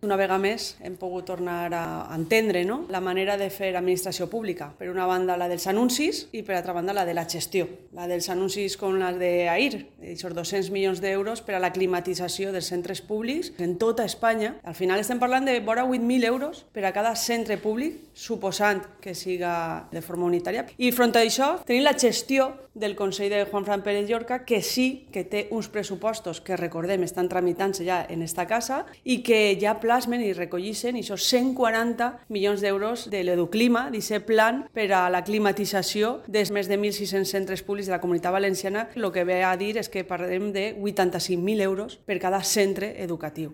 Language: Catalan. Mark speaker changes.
Speaker 1: Una vegada més hem pogut tornar a entendre, no?, la manera de fer administració pública. Per una banda la dels anuncis i per altra banda la de la gestió. La dels anuncis com la d'Air, aquests 200 milions d'euros per a la climatització dels centres públics en tota Espanya. Al final estem parlant de vora 8.000 euros per a cada centre públic, suposant que siga de forma unitària. I front a això tenim la gestió del Consell de Juanfran Pérez Llorca, que sí que té uns pressupostos que, recordem, estan tramitant-se ja en esta casa i que ja plasmen i recollissin aquests 140 milions d'euros de l'Educlima, d'aquest plan per a la climatització dels més de 1.600 centres públics de la Comunitat Valenciana. El que ve a dir és que parlem de 85.000 euros per cada centre educatiu.